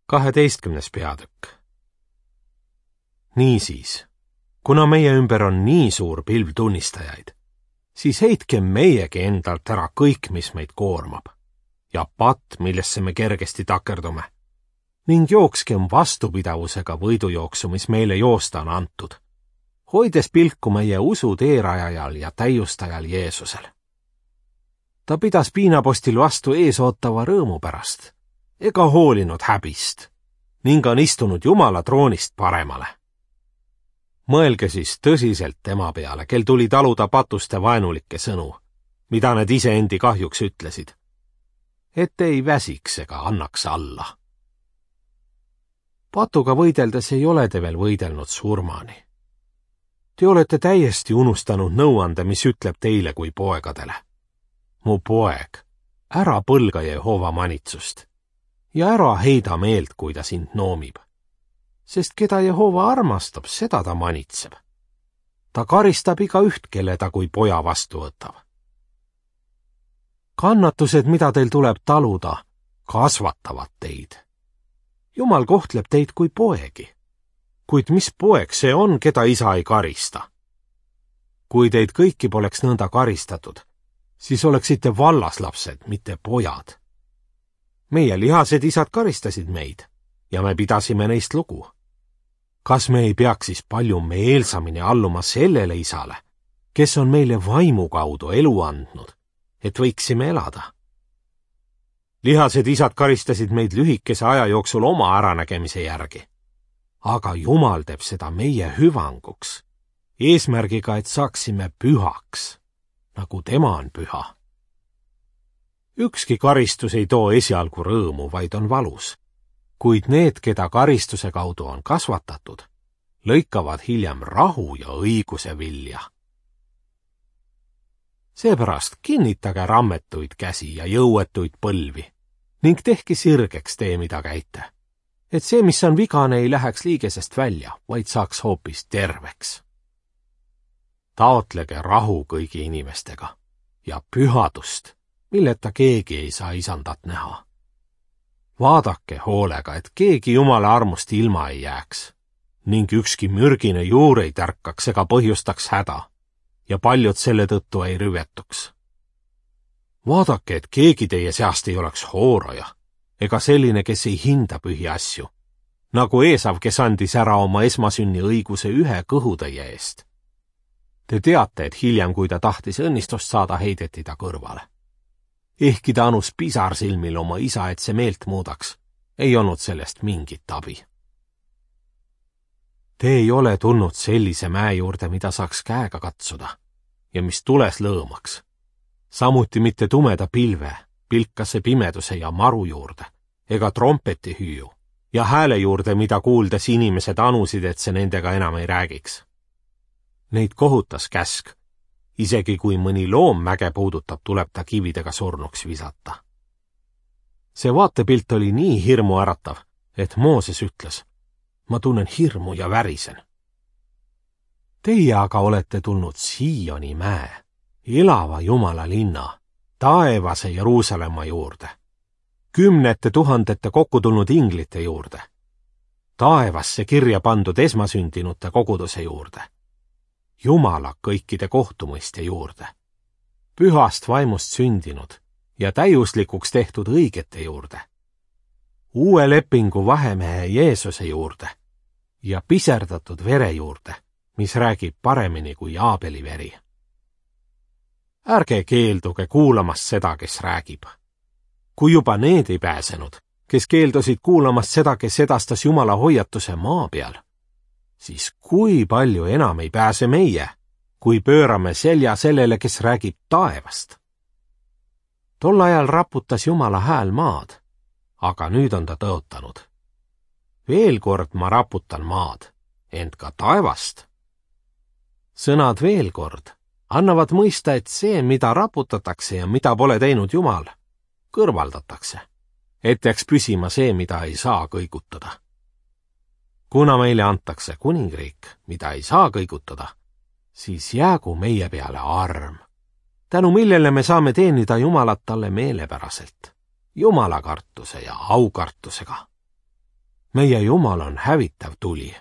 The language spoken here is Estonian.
12. peatükk. Niisiis, kuna meie ümber on nii suur pilv tunnistajaid, siis heitkem meiegi endalt ära kõik, mis meid koormab, ja patt, millesse me kergesti takerdume, ning jookskem vastupidavusega võidujooksu, mis meile joosta on antud, hoides pilku meie usu teerajajal ja täiustajal Jeesusel. Ta pidas piinapostil vastu eesootava rõõmu pärast, ega hoolinud häbist, ning on istunud Jumala troonist paremale. Mõelge siis tõsiselt tema peale, kel tuli taluda patuste vaenulikke sõnu, mida need iseendi kahjuks ütlesid, et ei väsiks ega annaks alla. Patuga võideldes ei ole te veel võidelnud surmani. Te olete täiesti unustanud nõuande, mis ütleb teile kui poegadele. Mu poeg, ära põlga Jehova manitsust ja ära heida meelt, kui ta sind noomib, sest keda Jehova armastab, seda ta manitseb. Ta karistab igaüht, kelle ta kui poja vastu võtab. Kannatused, mida teil tuleb taluda, kasvatavad teid. Jumal kohtleb teid kui poegi, kuid mis poeg see on, keda isa ei karista? Kui teid kõiki poleks nõnda karistatud, siis oleksite vallaslapsed, mitte pojad. Meie lihased isad karistasid meid ja me pidasime neist lugu. Kas me ei peaks siis palju meelsamini alluma sellele isale, kes on meile vaimu kaudu elu andnud, et võiksime elada? Lihased isad karistasid meid lühikese aja jooksul oma äranägemise järgi, aga Jumal teeb seda meie hüvanguks, eesmärgiga, et saaksime pühaks, nagu tema on püha. Ükski karistus ei too esialgu rõõmu, vaid on valus, kuid need, keda karistuse kaudu on kasvatatud, lõikavad hiljem rahu ja õiguse vilja. Seepärast kinnitage rammetuid käsi ja jõuetuid põlvi ning tehke sirgeks tee, mida käite, et see, mis on vigane, ei läheks liigesest välja, vaid saaks hoopis terveks. Taotlege rahu kõigi inimestega ja pühadust, milleta keegi ei saa isandat näha. Vaadake hoolega, et keegi Jumala armust ilma ei jääks, ning ükski mürgine juur ei tärkaks ega põhjustaks häda, ja paljud selle tõttu ei rüvetuks. Vaadake, et keegi teie seast ei oleks hooroja, ega selline, kes ei hinda pühi asju, nagu Eesav, kes andis ära oma esmasünni õiguse ühe kõhutäie eest. Te teate, et hiljem, kui ta tahtis õnnistust saada, heideti ta kõrvale. Ehkki ta anus pisarsilmil oma isa, et see meelt muudaks, ei olnud sellest mingit abi. Te ei ole tulnud sellise mäe juurde, mida saaks käega katsuda ja mis tules lõõmaks. Samuti mitte tumeda pilve, pilkase pimeduse ja maru juurde, ega trompeti hüüu ja hääle juurde, mida kuuldes inimesed anusid, et see nendega enam ei räägiks. Neid kohutas käsk. Isegi kui mõni loom mäge puudutab, tuleb ta kividega surnuks visata. See vaatepilt oli nii hirmuäratav, et Mooses ütles, ma tunnen hirmu ja värisen. Teie aga olete tulnud Sioni mäe, elava Jumala linna, taevase Jeruusalemma juurde, 10 000 kokku tulnud inglite juurde, taevasse kirja pandud esmasündinute koguduse juurde, Jumala kõikide kohtumõistja juurde, pühast vaimust sündinud ja täiuslikuks tehtud õigete juurde, uue lepingu vahemehe Jeesuse juurde ja piserdatud vere juurde, mis räägib paremini kui Aabeli veri. Ärge keelduge kuulamast seda, kes räägib. Kui juba need ei pääsenud, kes keeldusid kuulamast seda, kes edastas Jumala hoiatuse maa peal, siis kui palju enam ei pääse meie, kui pöörame selja sellele, kes räägib taevast. Tol ajal raputas Jumala hääl maad, aga nüüd on ta tõotanud. Veel kord ma raputan maad, ent ka taevast. Sõnad veel kord annavad mõista, et see, mida raputatakse ja mida pole teinud Jumal, kõrvaldatakse, et jääks püsima see, mida ei saa kõigutada. Kuna meile antakse kuningriik, mida ei saa kõigutada, siis jäägu meie peale arm, tänu millele me saame teenida Jumalat talle meelepäraselt, Jumala kartuse ja aukartusega. meie Jumal on hävitav tuli